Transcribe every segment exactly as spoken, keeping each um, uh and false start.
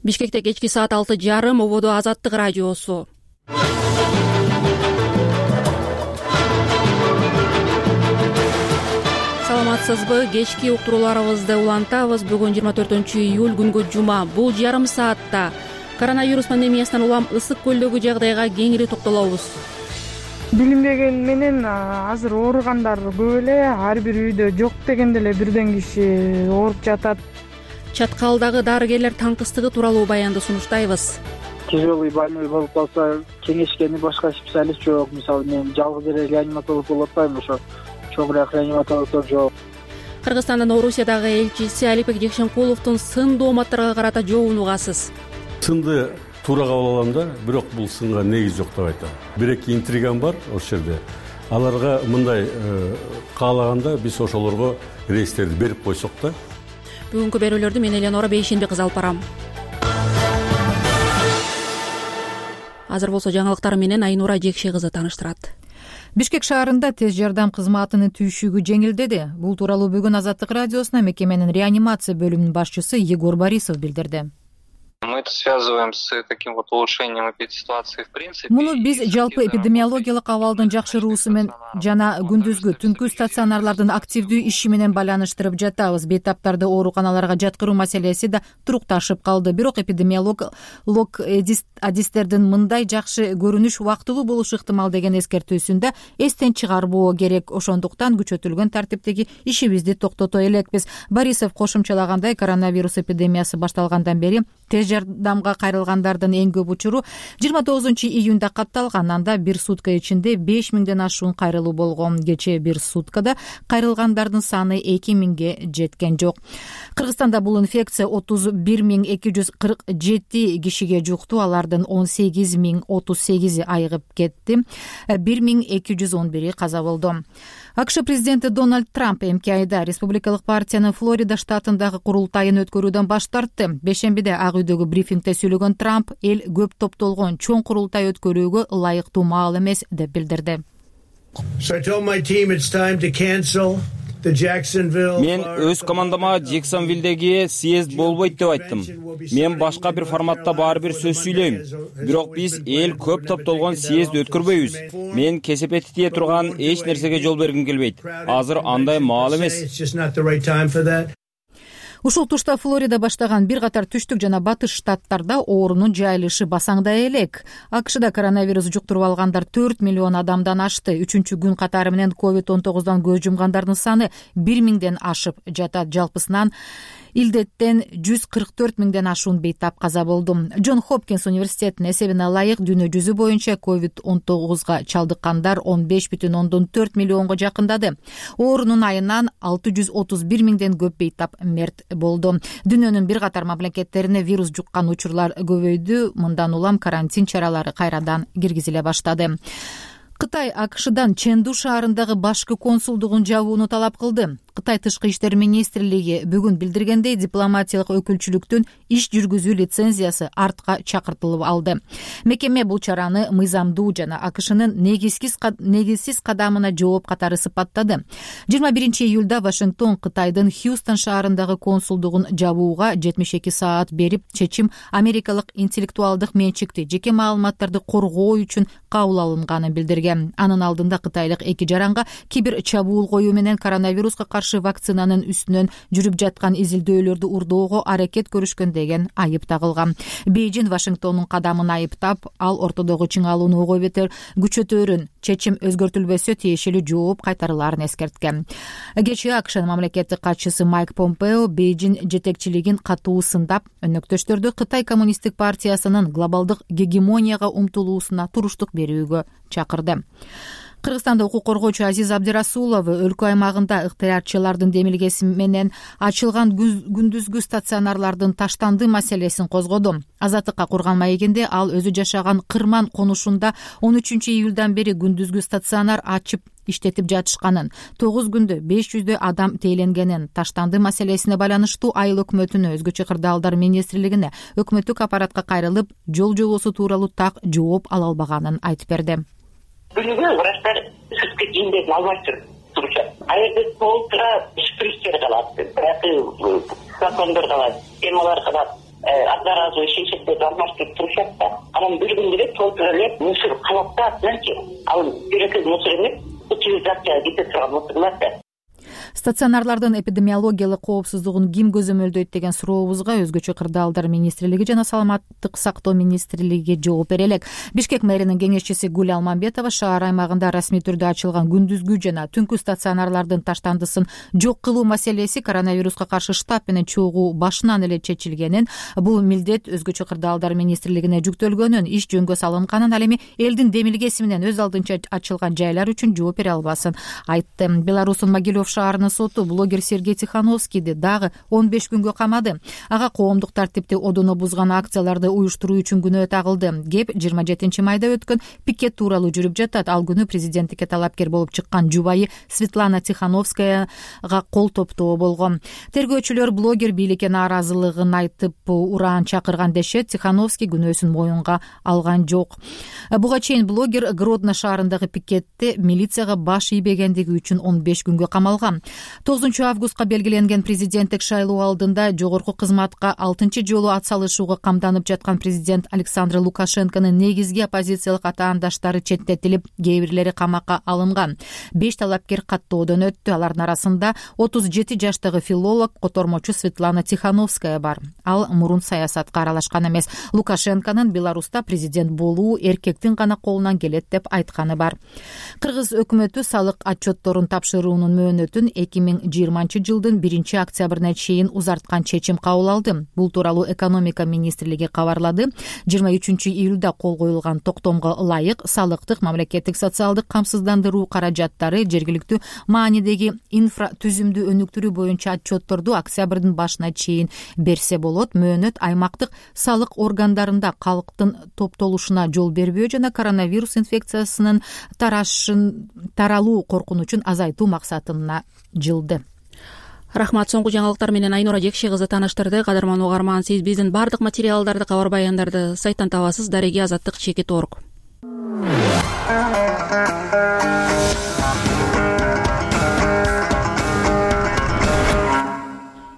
Бишкекте кечки саат алты жарым, ободо Азаттык радиосу. Саламатсызбы? Кечки уктурууларыбызды улантабыз. Бүгүн жыйырма төртүнчү июль, күнгө жума. Бул жарым саатта коронавирус пандемиясынан улам ысык көлдөгү жагдайга кеңири токтолобуз. Билинбеген менен азыр ооругандар көп эле, ар бир үйдө жок дегенде эле бирден киши ооруп жатат. Чаткалдагы дарыгерлер таңкыстыгы тууралуу баянды сунуштайбыз. Тяжелый больной болуп калса, кеңешкени башка специалист жок. Мисалы, мен жалгыз эле реаниматолог болуп атпайм, ошо чоңураак реаниматологдор жок. Кыргызстандын Орусиядагы элчиси Алипбек Жекшенкуловдун сын дооматтарга карата жообун угасыз. Сынды туура кабыл алам да, бирок бул сынга негиз жок деп айтам. Бир-эки интригам бар ошол жерде. Аларга мындай каалаганда биз ошолорго рейстерди берип койсок да. Бүгүнкү берүүлөрдү мен Эленора Бейшенби кызы алып барам. Азыр болсо жаңылыктар менен Айнура Жекше кызы тааныштырат. Бишкек шаарында тез жардам кызматынын түйшүгү жеңилдеди. Бул тууралуу бүгүн Азаттык радиосуна мекеменин реанимация бөлүмүнүн башчысы Егор Борисов билдирди. Мы это связываем с таким вот улучшением эпидситуации в принципе. Муну биз жалпы эпидемиологиялык абалдын жакшыруусу менен жана күндүзгү түнкү стационарлардын активдүү иши менен байланыштырып жатабыз. Бейтаптарды ооруканаларга жаткыруу маселеси да турукташып калды. Бирок эпидемиолог адистердин мындай жакшы көрүнүш убактылуу болушу ыктымал деген эскертүүсүндө эстен чыгарбоо керек. Ошондуктан күчөтүлгөн тартиптеги ишибизди токтото элекпиз. Борисов кошумчалагандай, коронавирус эпидемиясы башталгандан бери тез жардамга кайрылгандардын эң көп учуру жыйырма тогузунчу июнда катталган. Анда бир сутка ичинде беш миңден ашуун кайрылуу болгон. Кечээ бир суткада кайрылгандардын саны эки миңге жеткен жок. Кыргызстанда бул инфекция отуз бир миң эки жүз кырк жети кишиге жукту. Алардын он сегиз миң отуз сегизи айыгып кетти. бир миң эки жүз он бири каза болду. АКШ президенти Дональд Трамп эмки айда республикалык партиянын Флорида штатындагы курултайын өткөрүүдөн баш тартты. Бешембиде Ак үйдөгү брифингде сүйлөгөн Трамп эл көп топтолгон чоң курултай өткөрүүгө ылайыктуу маал эмес деп билдирди. Мен өз командама Джексонвилдеги съезд болбойт деп айттым. Мен башка бир форматта баары бир сөз сүйлөйм. Бирок биз эл көп топтолгон съезд өткөрбөйбүз. Мен кесепети тие турган эч нерсеге жол бергим келбейт. Азыр андай маал эмес. Ушул тушта Флорида баштаган бир катар түштүк жана батыш штаттарда оорунун жайылышы басаңдай элек. АКШда коронавирус жуктуруп алгандар төрт миллион адамдан ашты. Үчүнчү күн катары менен ковид он тогуздан көз жумгандардын саны бир миңден ашып жатат. Жалпысынан илдеттен жүз кырк төрт миңден ашуун бейтап каза болду. Джон Хопкинс университетинин эсебине ылайык дүйнө жүзү боюнча ковид он тогузга чалдыккандар он беш бүтүн ондон төрт миллионго жакындады. Оорунун айынан алты жүз отуз бир миңден көп бейтап мерт болду. Дүйнөнүн бир катар мамлекеттерине вирус жуккан учурлар көбөйдү. Мындан улам карантин чаралары кайрадан киргизиле баштады. Кытай АКШдан Чэнду шаарындагы башкы консулдугун жабууну талап кылды. Кытай тышкы иштер министрлиги бүгүн билдиргендей, дипломатиялык өкүлчүлүктүн иш жүргүзүү лицензиясы артка чакыртылып алды. Мекеме бул чараны мыйзамдуу жана АКШнын негизсиз кадамына жооп катары сыпаттады. жыйырма биринчи июлда Вашингтон Кытайдын Хьюстон шаарындагы консулдугун жабууга жетимиш эки саат берип, чечим америкалык интеллектуалдык менчикти жеке маалыматтарды коргоо үчүн кабыл алынганын билдирген. Анын алдында кытайлык эки жаранга кибер чабуул коюу менен коронавируска каршы вакцинанын үстүнөн жүрүп жаткан изилдөөлөрдү урдоого аракет көрүшкөн деген айып тагылган. Бейжин Вашингтондун кадамын айыптап, ал ортодогу чыңалууну ого бетер күчөтөөрүн, чечим өзгөртүлбөсө тиешелүү жооп кайтарылаарын эскерткен. Кечээ АКШнын мамлекеттик катчысы Майк Помпео Бейжин жетекчилигин катуу сындап, өнөктөштөрдү Кытай коммунисттик партиясынын глобалдык гегемонияга умтулуусуна туруштук берүүгө чакырды. Кыргызстанда укук коргоочу Азиз Абдирасулов өлкө аймагында ыктыярчылардын демилгеси менен ачылган күндүзгү стационарлардын таштанды маселесин козгоду. Азаттыкка курган маегинде ал өзү жашаган Кырман конушунда он үчүнчү июлдан бери күндүзгү стационар ачып иштетип жатышканын, тогуз күндө беш жүздөй адам тээленгенин, таштанды маселесине байланыштуу айыл өкмөтүнө, өзгөчө кырдаалдар министрлигине, өкмөттүк аппаратка кайрылып, жол жобосу тууралуу так жооп ала албаганын айтып берди. Бүгүнкү врачтар сүткө жиндерин албай турушат. А жерде толтура шприцтер калат, закондор калат, эмалар калат. одноразовый шишектерди алмаштырып турушат да. Анан бир күндө эле толтура эле мусор калат да атынанчы. Ал бирөкөй мусор эмес, утилизацияга кете турган мусорлар да. Стационарлардын эпидемиологиялык коопсуздугун ким көзөмөлдөйт деген сурообузга өзгөчө кырдаалдар министрлиги жана саламаттык сактоо министрлиги жооп бере элек. Бишкек мэринин кеңешчиси Гүл Алмамбетова шаар аймагында расмий түрдө ачылган күндүзгү жана түнкү стационарлардын таштандысын жок кылуу маселеси коронавируска каршы штаб менен чогуу башынан эле чечилгенин, бул милдет өзгөчө кырдаалдар министрлигине жүктөлгөнүн, иш жөнгө салынганын, ал эми элдин демилгеси менен өз алдынча ачылган жайлар үчүн жооп бере албасын айтты. Беларустун Могилев шаарынын соту блогер Сергей Тихановскийди дагы он беш күнгө камады. Ага коомдук тартипти одоно бузган акцияларды уюштуруу үчүн күнөө тагылды. Кеп жыйырма жетинчи майда өткөн пикет тууралуу жүрүп жатат. Ал күнү президенттикке талапкер болуп чыккан жубайы Светлана Тихановскаяга кол топтоо болгон. Тергөөчүлөр блогер бийликке нааразылыгын айтып ураан чакырган дешет. Тихановский күнөөсүн моюнга алган жок. Буга чейин блогер Гродно шаарындагы пикетте милицияга баш ийбегендиги үчүн он беш күнгө камалган. тогузунчу августка белгиленген президенттик шайлоо алдында жогорку кызматка алтынчы жолу атсалышууга камданып жаткан президент Александр Лукашенконун негизги оппозициялык атаандаштары четтетилип, кээ бирлери камакка алынган. Беш талапкер каттоодон өттү. Алардын арасында отуз жети жаштагы филолог, котормочу Светлана Тихановская бар. Ал мурун саясатка аралашкан эмес. Лукашенконун Беларуста президент болуу эркектин гана колунан келет деп айтканы бар. Кыргыз өкмөтү салык отчетторун тапшыруунун мөөнөтүн эки миң жыйырманчы жылдын биринчи октябрына чейин узарткан чечим кабыл алды. Бул тууралуу экономика министрлиги кабарлады. жыйырма үчүнчү июлда кол коюлган токтомго ылайык салыктык мамлекеттик социалдык камсыздандыруу каражаттары жергиликтүү маанидеги инфра түзүмдү өнүктүрүү боюнча отчетторду октябрдын башына чейин берсе болот. Мөөнөт аймактык салык органдарында калктын топтолушуна жол бербөө жана коронавирус инфекциясынын тарашын таралуу коркунучун азайтуу максатына жылды. Рахмат. Соңку жаңылыктар менен Айнура Жекши кызы тааныштырды. Кадырман угарман, сиз биздин бардык материалдарды, кабар баяндарды сайттан табасыз. Дареги азаттык чекит орг.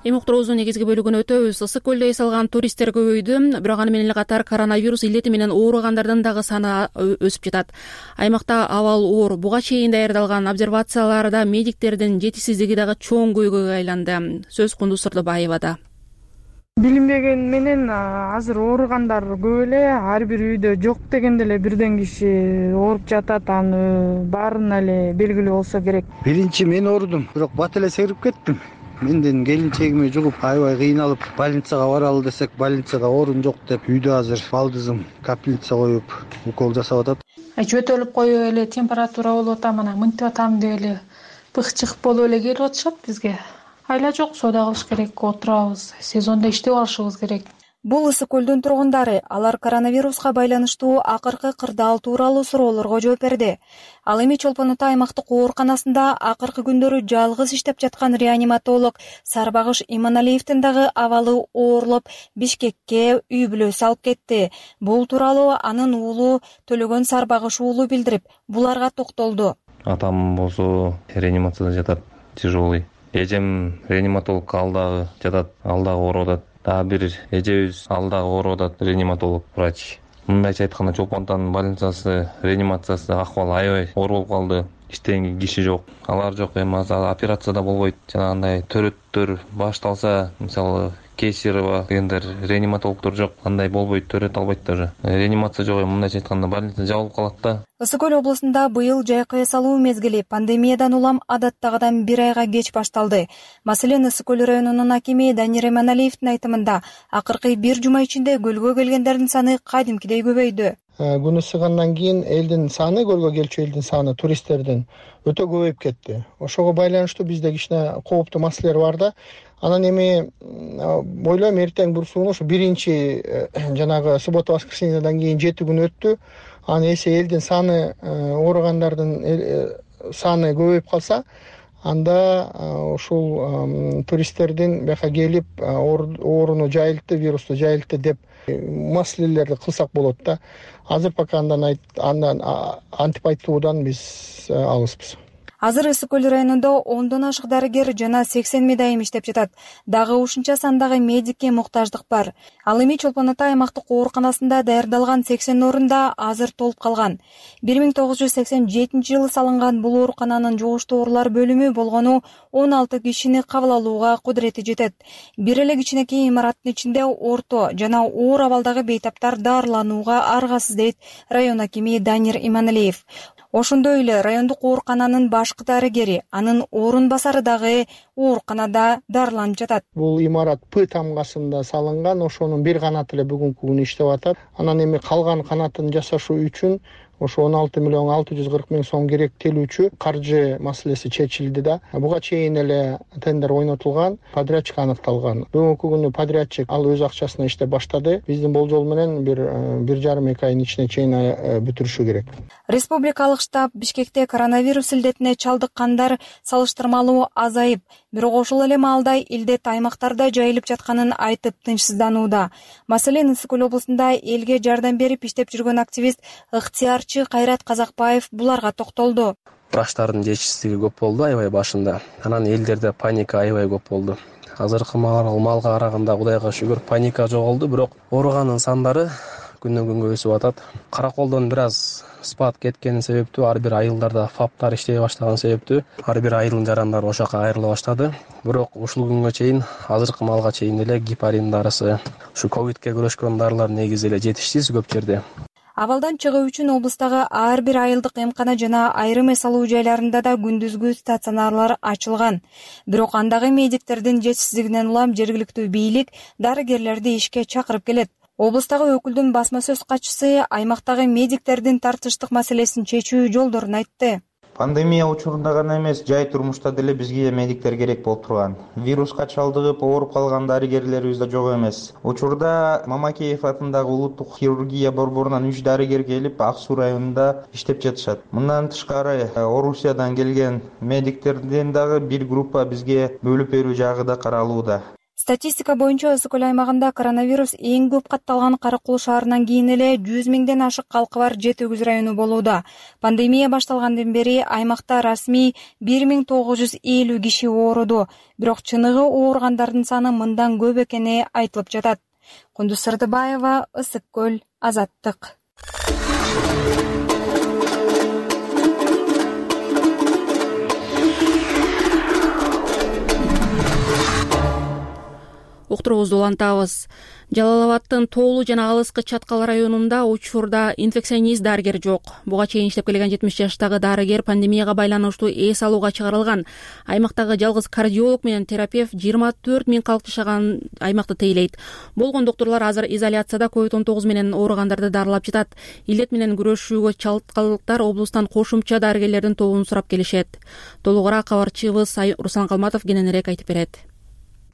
Эми уктуруубуздун негизги бөлүгүнө өтөбүз. Ысык көлдө эс алган туристтер көбөйдү, бирок аны менен эле катар коронавирус илдети менен ооругандардын дагы саны өсүп жатат. Аймакта абал оор. Буга чейин даярдалган обсервацияларда медиктердин жетишсиздиги дагы чоң көйгөйгө айланды. Сөз Кундуз Сырдыбаевада. Билинбеген менен азыр ооругандар көп эле, ар бир үйдө жок дегенде эле бирден киши ооруп жатат. Аны баарына эле белгилүү болсо керек. Биринчи мен оорудум, бирок бат эле сегирип кеттим. Менден келинчегиме жугуп, аябай кыйналып, больницага баралы десек, больницада орун жок деп, үйдө азыр балдызым капельница коюп, укол жасап атат. Жөтөлүп коюп эле температура болуп атам, анан мынтип атам деп эле бык-чык болуп эле келип атышат бизге. Айла жок, соода кылыш керек, отурабыз, сезондо иштеп алышыбыз керек. Бул ысык көлдүн тургундары алар коронавируска байланыштуу акыркы кырдаал тууралуу суроолорго жооп берди. Ал эми Чолпон Ата аймактык ооруканасында акыркы күндөрү жалгыз иштеп жаткан реаниматолог Сарбагыш Иманалиевдин дагы абалы оорлоп, Бишкекке үй бүлөсү алып кетти. Бул тууралуу анын уулу Төлөгөн Сарбагыш уулу билдирип, буларга токтолду. Атам болсо реанимацияда жатат, тяжелый. Эжем реаниматолог ал дагы жатат, ал дагы ооруп атат. Дагы бир эжебиз ал дагы ооруп атат, реаниматолог врач. Мындайча айтканда Чолпон Атанын больницасы, реанимациясы акыбалы аябай оор болуп калды. Иштеген киши жок, алар жок. Эми азыр операцияда болбойт. Жанагындай төрөттөр башталса, мисалы Кесирова дегендер реаниматологдор жок, андай болбойт, төрөт албайт даже. Реанимация жок, мындайча айтканда больница жабылып калат да. Ысык көл облусунда быйыл жайкы эс алуу мезгили пандемиядан улам адаттагыдан бир айга кеч башталды. Маселен, Ысык көл районунун акими Данир Эманалиевдин айтымында акыркы бир жума ичинде көлгө келгендердин саны кадимкидей көбөйдү. Күн ысыгандан кийин элдин саны, көлгө келчү элдин саны, туристтердин өтө көбөйүп кетти. Ошого байланыштуу бизде кичине кооптуу маселелер бар да. Анан эми ойлойм, эртең бурсууну ушу биринчи жанагы суббота воскресеньеден кийин жети күн өттү. Аны эсе элдин саны, ооругандардын саны көбөйүп калса, анда ушул туристтердин бияка келип ооруну жайылтты, вирусту жайылтты деп маселелерди кылсак болот да. Азыр пока андан андан антип айтуудан биз алыспыз. Азыр Ысык көл районунда ондон ашык дарыгер жана сексен медайым иштеп жатат. Дагы ушунча сандагы медикке муктаждык бар. Ал эми Чолпон Ата аймактык ооруканасында даярдалган сексен орунда азыр толуп калган. бир миң тогуз жүз сексен жетинчи жылы салынган бул оорукананын жугуштуу оорулар бөлүмү болгону он алты кишини кабыл алууга кудурети жетет. Бир эле кичинекей имараттын ичинде орто жана оор абалдагы бейтаптар даарыланууга аргасыз дейт район акими Данир Иманалиев. Ошондой эле райондук оорукананын башкы дарыгери, анын орун басары дагы ооруканада дарыланып жатат. Бул имарат П тамгасында салынган, ошонун бир канаты эле бүгүнкү күнү иштеп атат. Анан эми калган канатын жасашуу үчүн ошо он алты миллион алты жүз кырк миң сом керектелүүчү каржы маселеси чечилди да. Буга чейин эле тендер ойнотулган, подрядчик аныкталган. Бүгүнкү күнү подрядчик ал өз акчасына иштеп баштады. Биздин болжол менен бир бир жарым эки айдын ичине чейин бүтүрүшү керек. Республикалык штаб Бишкекте коронавирус илдетине чалдыккандар салыштырмалуу азайып, бирок ошол эле маалда илдет аймактарда жайылып жатканын айтып тынчсызданууда. Маселен Ысык көл облусунда элге жардам берип иштеп жүргөн активист ыктыярчы Кайрат Казакбаев буларга токтолду. Врачтардын жетишсиздиги көп болду аябай башында. Анан элдерде паника аябай көп болду. Азыркы маалга караганда Кудайга шүгүр паника жоголду, бирок ооруганын сандары күндөн күнгө өсүп атат. Караколдон бир аз спад кеткени себептүү, ар бир айылдарда фаптар иштей баштаган себептүү ар бир айылдын жарандары ошо жака айрыла баштады. Бирок ушул күнгө чейин, азыркы маалга чейин эле гепарин дарысы, ушу ковидке күрөшкөн дарылар негизи эле жетишсиз көп жерде. Абалдан чыгуу үчүн облустагы ар бир айылдык эмкана жана айрым эс алуу жайларында да күндүзгү стационарлар ачылган. Бирок андагы медиктердин жетишсиздигинен улам жергиликтүү бийлик дарыгерлерди ишке чакырып келет. Облустагы өкүлдүн басма сөз катчысы аймактагы медиктердин тартыштык маселесин чечүү жолдорун айтты. Пандемия учурунда гана эмес, жай турмушта деле бизге медиктер керек болуп турган. Вируска чалдыгып ооруп калган дарыгерлерибиз да жок эмес. Учурда Мамакеев атындагы улуттук хирургия борборунан үч дарыгер келип, Ак Суу районунда иштеп жатышат. Мындан тышкары Орусиядан келген медиктерден дагы бир группа бизге бөлүп берүү жагы да каралууда. Статистика боюнча Ысык көл аймагында коронавирус эң көп катталган Каракул шаарынан кийин эле жүз миңден ашык калкы бар Жети Өгүз району болууда. Пандемия башталгандан бери аймакта расмий бир миң тогуз жүз элүү киши ооруду, бирок чыныгы ооругандардын саны мындан көп экени айтылып жатат. Кундуз Сырдыбаева, Ысык көл, Азаттык. Уктуруубузду улантабыз. Жалал Абадтын Тоолу жана Алыскы Чаткал районунда учурда инфекционист дарыгер жок. Буга чейин иштеп келген жетимиш жаштагы дарыгер пандемияга байланыштуу эс алууга чыгарылган. Аймактагы жалгыз кардиолог менен терапевт жыйырма төрт миң калк жашаган аймакты тейлейт. Болгон доктурлар азыр изоляцияда ковид он тогуз менен ооругандарды дарылап жатат. Илдет менен күрөшүүгө чалдыккандар облустан кошумча дарыгерлердин тобун сурап келишет. Толугураак кабарчыбыз Руслан Калматов кененирээк айтып берет.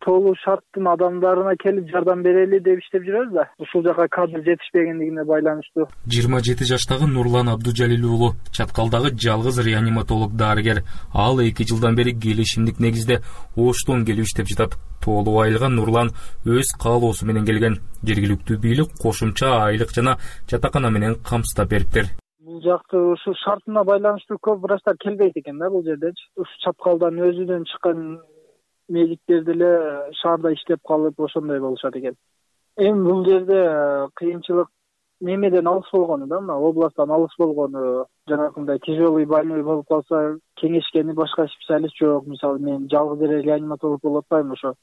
Тоолуу шарттын адамдарына келип жардам берели деп иштеп жүрөбүз да. Ушул жака кадр жетишпегендигине байланыштуу. жыйырма жети жаштагы Нурлан Абдужалил уулу Чаткалдагы жалгыз реаниматолог дарыгер. Ал эки жылдан бери келишимдик негизде Оштон келип иштеп жатат. Тоолуу айылган Нурлан өз каалоосу менен келген. Жергиликтүү бийлик кошумча айлык жана жатакана менен камсыздап бериптир. Бул жакты ушул шартына байланыштуу көп врачтар келбейт экен да бул жердечи. Ушу Чаткалдан өзүнөн чыккан медиктер деле шаарда иштеп калып ошондой болушат экен. Эми бул жерде кыйынчылык немеден алыс болгону да, мына областтан алыс болгону, жанакындай тяжелый больной болуп калса кеңешкени башка специалист жок. Мисалы мен жалгыз эле реаниматолог болуп атпайм, ошо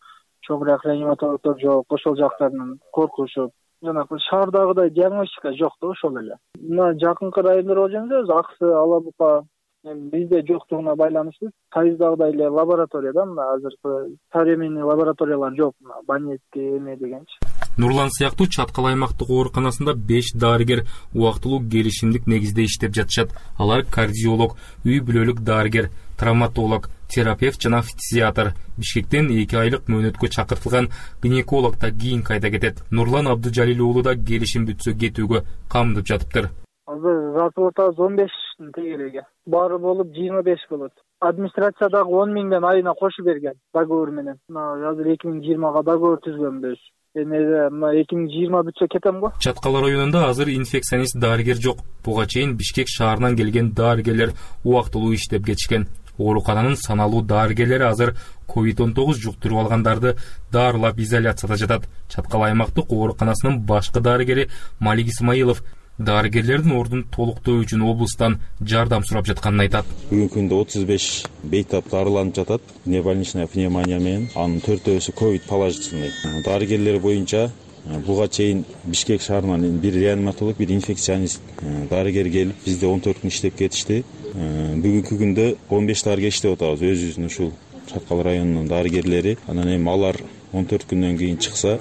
чоңураак реаниматологдор жок, ошол жактарынан коркушуп. Жанакы шаардагыдай диагностика жок да ошол эле. Мына жакынкы райондорго жөнөбүз, Аксы, Алабука, бизде жоктугуна байланыштуу Тайыздагыдай эле лабораторияда мына азыркы современный лабораториялар жок, Банецкий эме дегенчи. Нурлан сыяктуу Чаткал аймактык ооруканасында беш дарыгер убактылуу келишимдик негизде иштеп жатышат. Алар кардиолог, үй бүлөлүк дарыгер, травматолог, терапевт жана фтизиатр. Бишкектен эки айлык мөөнөткө чакыртылган гинеколог да кийин кайда кетет. Нурлан Абдужалил уулу да келишим бүтсө кетүүгө камдып жатыптыр. Азыр жатып атабыз он бештин тегереги. Баары болуп жыйырма беш болот. Администрациядагы он миңден айына кошуп берген договор менен. Мына азыр эки миң жыйырмага договор түзгөнбүз. Эми мына эки миң жыйырма бүтсө кетем го. Чаткал районунда азыр инфекционист дарыгер жок. Буга чейин Бишкек шаарынан келген дарыгерлер убактылуу иштеп кетишкен. оорукананын саналуу дарыгерлери азыр ковид он тогуз жуктуруп алгандарды дарылап изоляцияда жатат. Чаткал аймактык ооруканасынын башкы дарыгери Малик Исмаилов дарыгерлердин ордун толуктоо үчүн облустан жардам сурап жатканын айтат. Бүгүнкү күндө отуз беш бейтап дарыланып жатат. Внебольничная пневмония менен, анын төртөөсү ковид положительный. Дарыгерлер боюнча буга чейин Бишкек шаарынан бир реаниматолог, бир инфекционист дарыгер келип, бизде он төрт күн иштеп кетишти. Бүгүнкү күндө он беш дарыгер иштеп атабыз, өзүбүздүн ушул Чаткал районунун дарыгерлери. Анан эми алар он төрт күндөн кийин чыкса,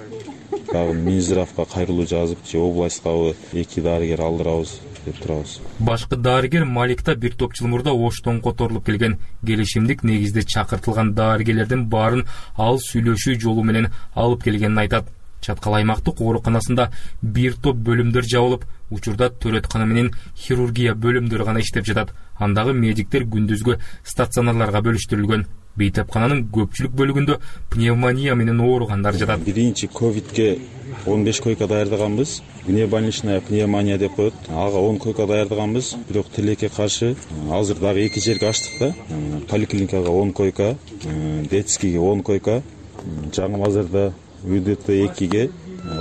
дагы Минздравга кайрылуу жазып, же областка эки дарыгер алдырабыз деп турабыз. Башкы дарыгер Малик да бир топ жыл мурда Оштон которулуп келген. Келишимдик негизде чакыртылган дарыгерлердин баарын ал сүйлөшүү жолу менен алып келгенин айтат. Чаткал аймактык ооруканасында бир топ бөлүмдөр жабылып, учурда төрөткана менен хирургия бөлүмдөрү гана иштеп жатат. Андагы медиктер күндүзгү стационарларга бөлүштүрүлгөн. Бейтапкананын көпчүлүк бөлүгүндө пневмония менен ооругандар жатат. Биринчи ковидке он беш койка даярдаганбыз. Внебольничная пневмония деп коет. Ага он койка даярдаганбыз. Бирок тилекке каршы азыр дагы эки жерге ачтык да. Поликлиникага он койка, детскийге он койка, жаңы базарда УДТ экиге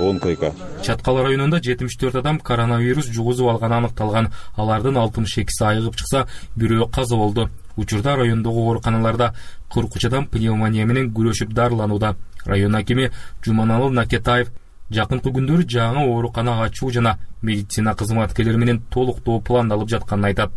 он койка. Чаткал районунда жетимиш төрт адам коронавирус жугузуп алганы аныкталган. Алардын алтымыш экиси айыгып чыкса, бирөө каза болду. Учурда райондогу ооруканаларда кырк үч адам пневмония менен күрөшүп дарыланууда. Район акими Жуманалы Накетаев жакынкы күндөрү жаңы оорукана ачуу жана медицина кызматкерлери менен толуктоо пландалып жатканын айтат.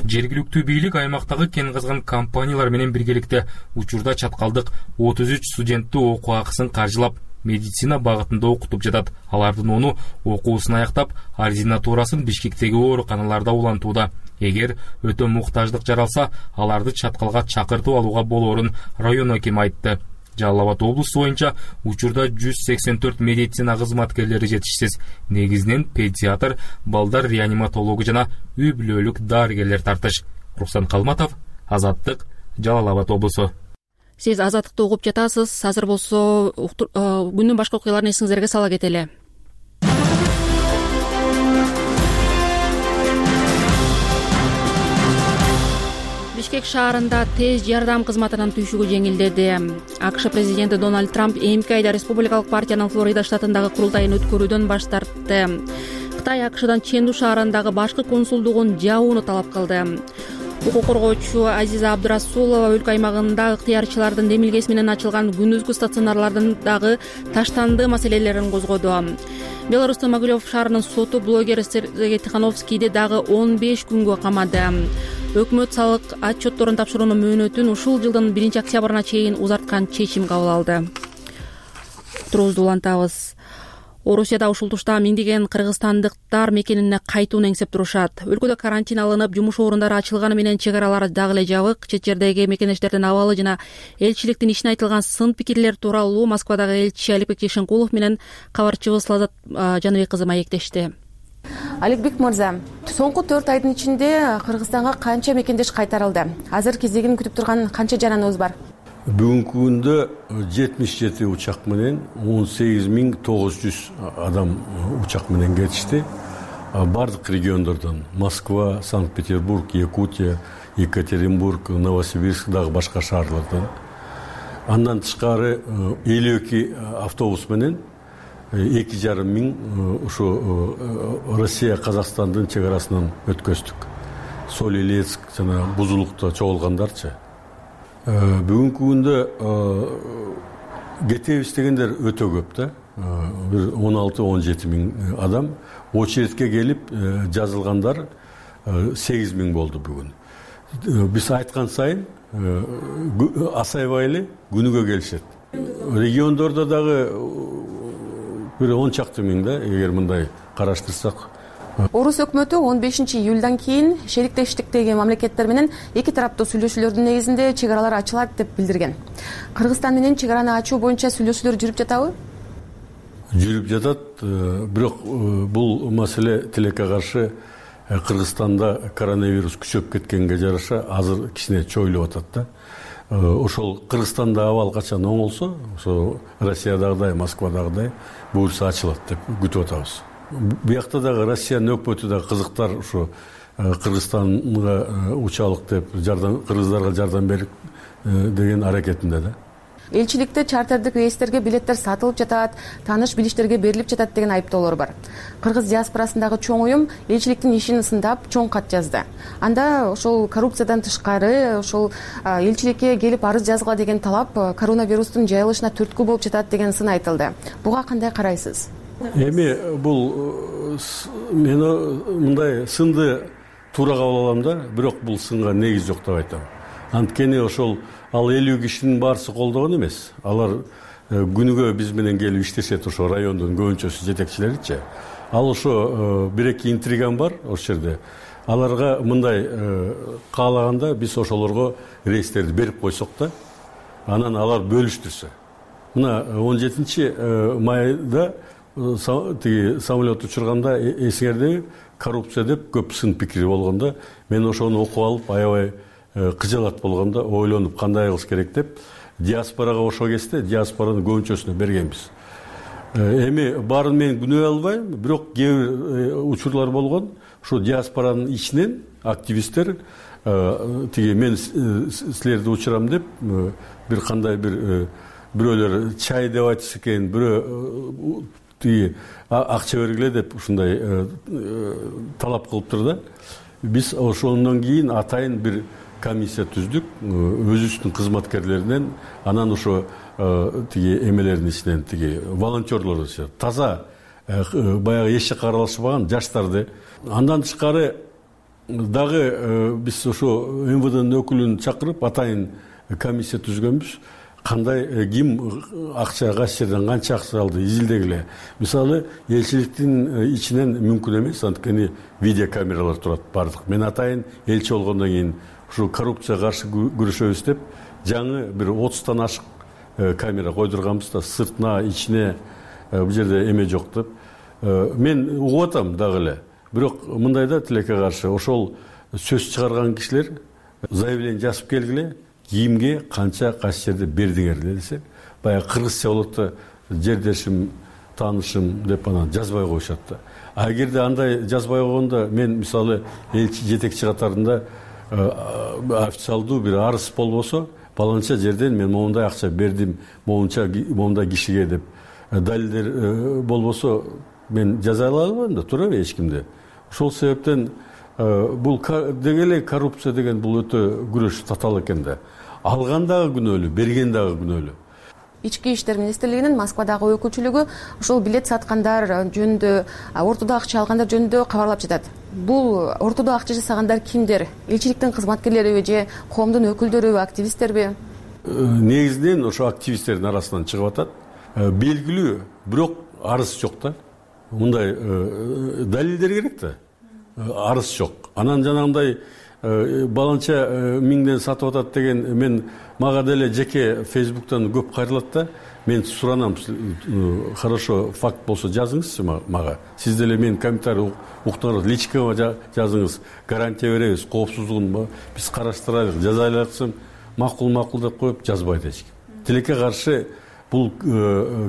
Жергиликтүү бийлик аймактагы кен казган компаниялар менен биргеликте учурда чаткалдык отуз үч студентти окуу акысын каржылап, медицина багытында окутуп жатат. Алардын ону окуусун аяктап, ординатурасын Бишкектеги ооруканаларда улантууда. Эгер өтө муктаждык жаралса, аларды Чаткалга чакыртып алууга болоорун район акими айтты. Жалал Абад облусу боюнча учурда жүз сексен төрт медицина кызматкерлери жетишсиз. Негизинен педиатр, балдар реаниматологу жана үй бүлөлүк дарыгерлер тартыш. Рухсан Калматов, Азаттык, Жалал Абад облусу. Сиз Азаттыкты угуп жатасыз. Азыр болсо күндүн башка окуяларын эсиңиздерге сала кетели. Бишкек шаарында тез жардам кызматынын түйшүгү жеңилдеди. АКШ президенти Дональд Трамп эмки айда Республикалык партиянын Флорида штатындагы курултайын өткөрүүдөн баш тартты. Кытай АКШдан Ченду шаарындагы башкы консулдугун жабууну талап кылды. Укук коргоочу Азиза Абдурасулова өлкө аймагында ыктыярчылардын демилгеси менен ачылган күндүзгү стационарлардын дагы таштанды маселелерин козгоду. Беларустун Могилев шаарынын соту блогер Сергей Тихановскийди дагы он беш күнгө камады. Өкмөт салык отчетторун тапшыруунун мөөнөтүн ушул жылдын биринчи октябрына чейин узарткан чечим кабыл алды. Турубузду улантабыз. Орусияда ушул тушта миңдеген кыргызстандыктар мекенине кайтууну эңсеп турушат. Өлкөдө карантин алынып, жумуш орундары ачылганы менен чек аралар дагы эле жабык. Чет жердеги мекенештердин абалы жана элчиликтин ишине айтылган сын пикирлер тууралуу Москвадагы элчи Аликбек Ишенкулов менен кабарчыбыз Лазат Жаныбек кызы маектешти. Аликбек мырза, соңку төрт айдын ичинде Кыргызстанга канча мекендеш кайтарылды? Азыр кезегин күтүп турган канча жараныбыз бар? Бүгүнкү күндө жетимиш жети учак менен он сегиз миң тогуз жүз адам учак менен кетишти. Бардык региондордон Москва, Санкт-Петербург, Якутия, Екатеринбург, Новосибирск дагы башка шаарлардан. Андан тышкары элүү эки автобус менен эки жарым миң ушу Россия Казакстандын чек арасынан өткөздүк. Соль-Илецк жана Бузулукта чогулгандарчы. Бүгүнкү күндө кетебиз дегендер өтө көп да. Бир он алты он жети миң адам. Очередке келип жазылгандар сегиз миң болду бүгүн. Биз айткан сайын асайбай эле күнүгө келишет. Региондордо дагы бир он чакты миң да, эгер мындай караштырсак. Орус өкмөтү он бешинчи июлдан кийин шериктештиктеги мамлекеттер менен эки тараптуу сүйлөшүүлөрдүн негизинде чек аралар ачылат деп билдирген. Кыргызстан менен чек араны ачуу боюнча сүйлөшүүлөр жүрүп жатабы? Жүрүп жатат, бирок бул маселе тилекке каршы Кыргызстанда коронавирус күчөп кеткенге жараша азыр кичине чойлуп атат да. Ошол Кыргызстанда абал качан оңолсо, ошо Россиядагыдай, Москвадагыдай буюрса ачылат деп күтүп атабыз. Буякта дагы Россиянын өкмөтү да кызыктар ушу Кыргызстанга учалык деп жардам кыргыздарга жардам берип деген аракетинде да. Элчиликте чартердик рейстерге билеттер сатылып жатат, тааныш билиштерге берилип жатат деген айыптоолор бар. Кыргыз диаспорасындагы чоң уюм элчиликтин ишин сындап чоң кат жазды. Анда ошол коррупциядан тышкары ошол элчиликке келип арыз жазгыла деген талап коронавирустун жайылышына түрткү болуп жатат деген сын айтылды. Буга кандай карайсыз? Эми бул мен мындай сынды туура кабыл алам да, бирок бул сынга негиз жок деп айтам. Анткени ошол ал элүү кишинин баарысы колдогон эмес. Алар күнүгө биз менен келип иштешет, ошо райондун көбүнчөсү жетекчилеричи. Ал ошо бир эки интриган бар ошол жерде. Аларга мындай каалаганда биз ошолорго рейстерди берип койсок да, анан алар бөлүштүрсө. Мына он жетинчи майда тиги самолет учурганда эсиңердеби, коррупция деп көп сын пикири болгондо, мен ошону окуп алып аябай кыжалат болгондо ойлонуп кандай кылыш керек деп диаспорага ошол кезде диаспоранын көбүнчөсүнө бергенбиз. Эми баарын мен күнөө албайм, бирок кээ бир учурлар болгон. Ошо диаспоранын ичинен активисттер тиги мен силерди учурам деп бир кандай бир бирөөлөр чай деп айтса экен, бирөө тиги акча бергиле деп ушундай талап кылыптыр да. Биз ошондон кийин атайын бир комиссия түздүк, өзүбүздүн кызматкерлеринен, анан ошо тиги эмелердин ичинен тиги волонтерлор таза баягы эч жакка аралашпаган жаштарды. Андан тышкары дагы биз ошо эм вэ дэнин өкүлүн чакырып атайын комиссия түзгөнбүз. Кандай ким акча кайсы жерден канча акча алды изилдегиле. Мисалы элчиликтин ичинен мүмкүн эмес, анткени видеокамералар турат бардык. Мен атайын элчи болгондон кийин ушу коррупцияга каршы күрөшөбүз деп жаңы бир отуздан ашык камера койдурганбыз да, сыртына ичине бул жерде эме жок деп. Мен угуп атам дагы эле. Бирок мындайда тилекке каршы ошол сөз чыгарган кишилер заявление жазып келгиле, кимге канча кайсы жерде бердиңер десе, баягы кыргызча болот да, жердешим, таанышым деп анан жазбай коюшат да. А эгерде андай жазбай койгондо мен мисалы элчи жетекчи катарында официалдуу бир арыз болбосо, баланча жерден мен моундай акча бердим, моунча моундай кишиге деп далилдер болбосо мен жаза албайм да, туурабы эч кимди. Ошол себептен бул деги эле коррупция деген бул өтө күрөш татаал экен да. Алган дагы күнөөлүү, берген дагы күнөөлүү. Ички иштер министрлигинин Москвадагы өкүлчүлүгү ушул билет саткандар жөнүндө, ортодо акча алгандар жөнүндө кабарлап жатат. Бул ортодо акча жасагандар кимдер? Элчиликтин кызматкерлериби же коомдун өкүлдөрүбү, активисттерби? Негизинен ошо активисттердин арасынан чыгып атат. Белгилүү, бирок арыз жок да. Мындай далилдер керек да. Арыз жок. Анан жанагындай баланча миңден сатып атат деген мен мага деле жеке Фейсбуктан көп кайрылат да. Мен суранам, хорошо факт болсо жазыңызчы мага. Сиз деле мен комментарий уктуңуз, личкага жазыңыз, гарантия беребиз, коопсуздугун биз караштырайлык, жазайлы десем, макул-макул деп коюп жазбайт эч ким. Тилекке каршы бул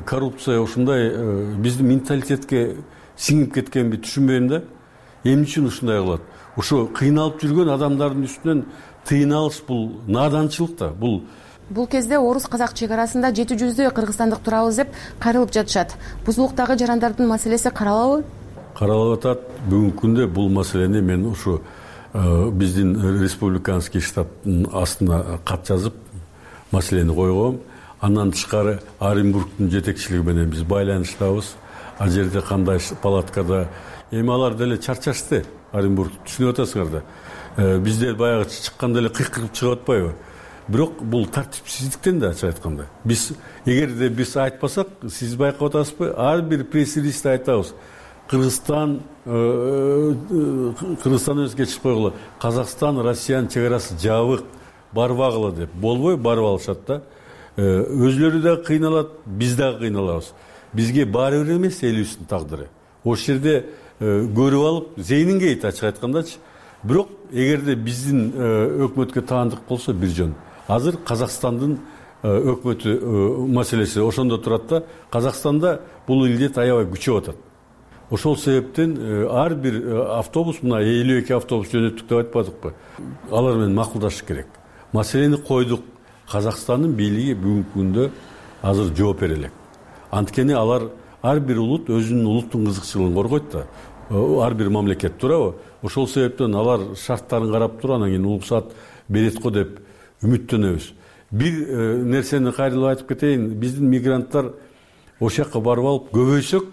коррупция ушундай биздин менталитетке сиңип кеткенби түшүнбөйм да. Эмне үчүн ушундай кылат? Ошо кыйналып жүргөн адамдардын үстүнөн тыйын алыш бул наданчылык да. Бул Бул кезде орус-казак чек арасында жети жүздөй кыргызстандык турабыз деп кайрылып жатышат. Бузулуктагы жарандардын маселеси каралабы? Каралып атат. Бүгүнкү күндө бул маселени мен ушу биздин республиканский штабтын астына кат жазып маселени койгом. Андан тышкары Оренбургдун жетекчилиги менен биз байланыштабыз. Ал жерде кандай палаткада эми алар деле чарчашты. Оренбург түшүнүп атасыңар да. Бизде баягы чыкканда эле кыйкырып чыгып атпайбы? Бирок бул тартипсиздиктен да ачык айтканда. Биз эгерде биз айтпасак, сиз байкап атасызбы? Ар бир пресс-релизде айтабыз. Кыргызстан Кыргызстан өзгө чыгып койгула. Казакстан, Россиянын чек арасы жабык, барбагыла деп. Болбой барып алышат да. Өзлөрү да кыйналат, биз дагы кыйналабыз. Бизге баары бир эмес элүүсүнүн тагдыры. Ошол жерде көрүп алып, зейнин кейт ачык айткандачы. Бирок эгерде биздин өкмөткө таандык болсо бир жөн. Азыр Казакстандын өкмөтү маселеси ошондо турат да. Казакстанда бул илдет аябай күчөп атат. ошол себептен ар бир автобус, мына элүү эки автобус жөнөттүк деп айтпадыкпы, алар менен макулдашыш керек. Маселени койдук. Казакстандын бийлиги бүгүнкү күндө азыр жооп бере элек. Анткени алар ар бир улут өзүнүн улуттун кызыкчылыгын коргойт да. Ар бир мамлекет, туурабы? Ошол себептен алар шарттарын карап туруп, анан кийин уруксат берет го деп үмүттөнөбүз. Бир нерсени кайрылып айтып кетейин. Биздин мигранттар ошол жака барып алып көбөйсөк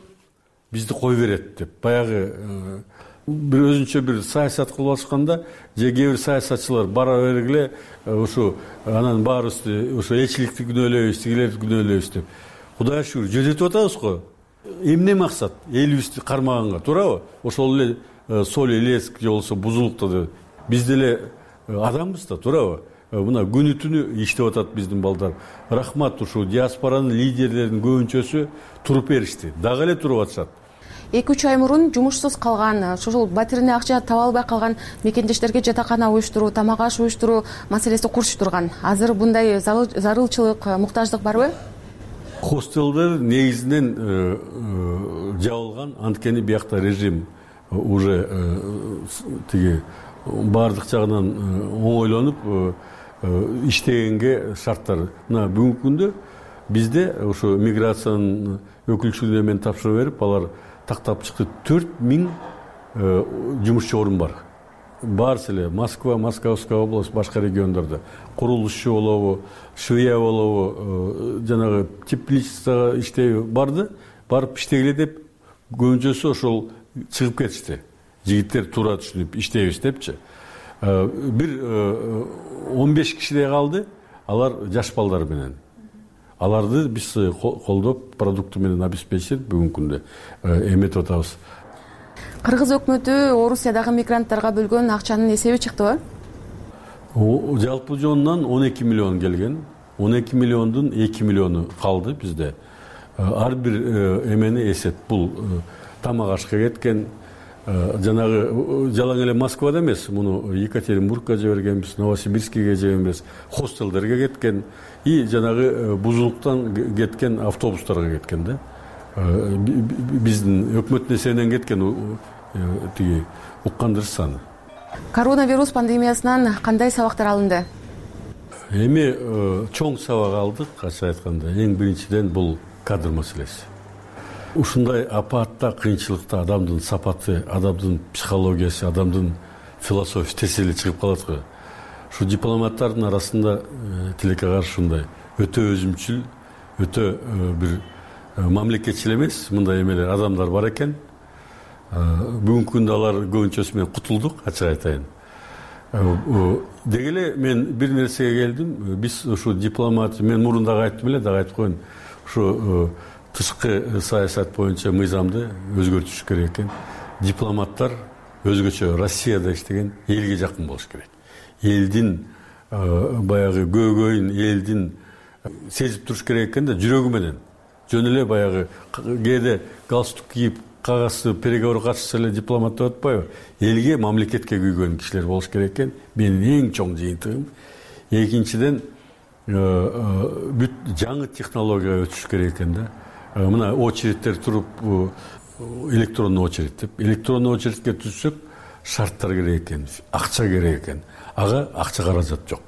бизди кой берет деп баягы бир өзүнчө бир саясат кылып алышканда, же кээ бир саясатчылар бара бергиле ушу анан баарыбызды ошо элчиликти күнөөлөйбүз, тигилерди күнөөлөйбүз деп. Кудайга шүгүр жөнөтүп атабыз го. Эмне максат? Элибизди кармаганга, туурабы? Ошол эле Соль Илецк же болбосо Бузулукта да биз деле адамбыз да, туурабы? Мына күнү түнү иштеп атат биздин балдар. Рахмат, ушу диаспоранын лидерлеринин көбүнчөсү туруп беришти. Дагы эле туруп атышат. эки үч ай мурун жумушсуз калган, ошол батирине акча таба албай калган мекендештерге жатакана уюштуруу, тамак аш уюштуруу маселеси курчуп турган. Азыр мындай зарылчылык, муктаждык барбы? Хостелдер негизинен жабылган, анткени биякта режим уже тиги баардык жагынан оңойлонуп иштегенге шарттар. Мына бүгүнкү күндө бизде ошо миграциянын өкүлчүлүгүнө мен тапшырып берип, алар тактап чыкты. төрт миң жумушчу орун бар. Баарысы эле Москва, Московская область, башка региондордо курулушчу болобу, швея болобу, жанагы тепличество иштейби барды, барып иштегиле деп көбүнчөсү ошол чыгып кетишти. Жигиттер туура түшүнүп иштейбиз депчи. Бир он беш кишидей калды, алар жаш балдар менен. Аларды биз колдоп, продукты менен обеспечип бүгүнкү күндө эметип атабыз. Кыргыз өкмөтү Орусиядагы мигранттарга бөлгөн акчанын эсеби чыктыбы? Жалпы жонунан он эки миллион келген. он эки миллиондун эки миллиону калды бизде. Ар бир эмени эсеп. Бул тамак ашка кеткен, жанагы жалаң эле Москвада эмес, муну Екатеринбургка жибергенбиз, Новосибирскиге жибергенбиз, хостелдерге кеткен и жанагы Бузулуктан кеткен автобустарга кеткен да. Биздин өкмөттүн эсебинен кеткен тиги уккандыр саны. Коронавирус пандемиясынан кандай сабактар алынды? Эми чоң сабак алдык, ачык айтканда. Эң биринчиден бул кадр маселеси. Ушундай апатта, кыйынчылыкта адамдын сапаты, адамдын психологиясы, адамдын философиясы тез эле чыгып калат го. Ушу дипломаттардын арасында тилекке каршы ушундай өтө өзүмчүл, өтө бир мамлекетчил эмес мындай эмелер адамдар бар экен. Бүгүнкү күндө алар көбүнчөсү менен кутулдук, ачык айтайын. Деги эле мен бир нерсеге келдим. Биз ушу дипломат, мен мурун дагы айттым эле, дагы айтып коеюн. Ушу тышкы саясат боюнча мыйзамды өзгөртүш керек экен. Дипломаттар өзгөчө Россияда иштеген элге жакын болуш керек. Элдин баягы көйгөйүн, элдин сезип туруш керек экен да, жүрөгү менен. Жөн эле баягы кээде галстук кийип кагазды переговор катышса эле дипломат деп атпайбы? Элге, мамлекетке күйгөн кишилер болуш керек экен. Менин эң чоң жыйынтыгым. Экинчиден, бүт жаңы технологияга өтүш керек экен да. Мына очередтер туруп, электронный очередь деп. Электронный очередке түшсөк, шарттар керек экен, акча керек экен. Ага акча каражат жок.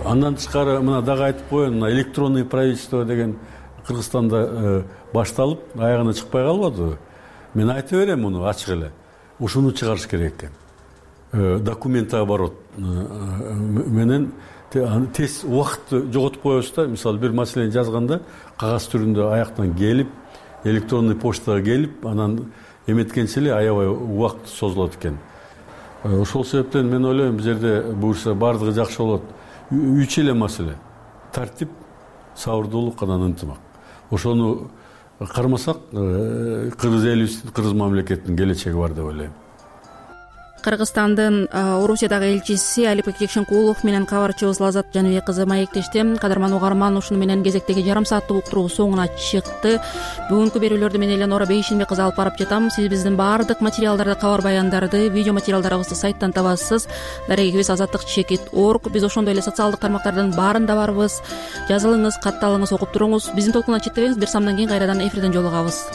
Андан тышкары мына дагы айтып коеюн, мына электронный правительство деген Кыргызстанда башталып, аягына чыкпай калбады. Мен айтып берем муну ачык эле. Ушуну чыгарыш керек экен. Документооборот менен тез убакытты жоготуп коебуз да. Мисалы бир маселени жазганда кагаз түрүндө аяктан келип, электронный почтага келип, анан эметкенче эле аябай убакыт созулат экен. Ошол себептен мен ойлойм, бул жерде буюрса бардыгы жакшы болот. Үч эле маселе: тартип, сабырдуулук, анан ынтымак. Ошону кармасак, кыргыз элибиздин, кыргыз мамлекетинин келечеги бар деп ойлойм. Кыргызстандын Орусиядагы элчиси Алипбек Жекшенкулов менен кабарчыбыз Лазат Жаныбек кызы маектешти. Кадырман угарман, ушуну менен кезектеги жарым сааттык уктуруу соңуна чыкты. Бүгүнкү берүүлөрдү мен Эленора Бейшенбек кызы алып барып жатам. Сиз биздин баардык материалдарды, кабар баяндарды, видео материалдарыбызды сайттан табасыз. Дарегибиз азаттык чекит точка орг. Биз ошондой эле социалдык тармактардын баарында барбыз. Жазылыңыз, катталыңыз, окуп туруңуз. Биздин толкундан четтебеңиз. Бир самдан кийин кайрадан эфирден жолугабыз.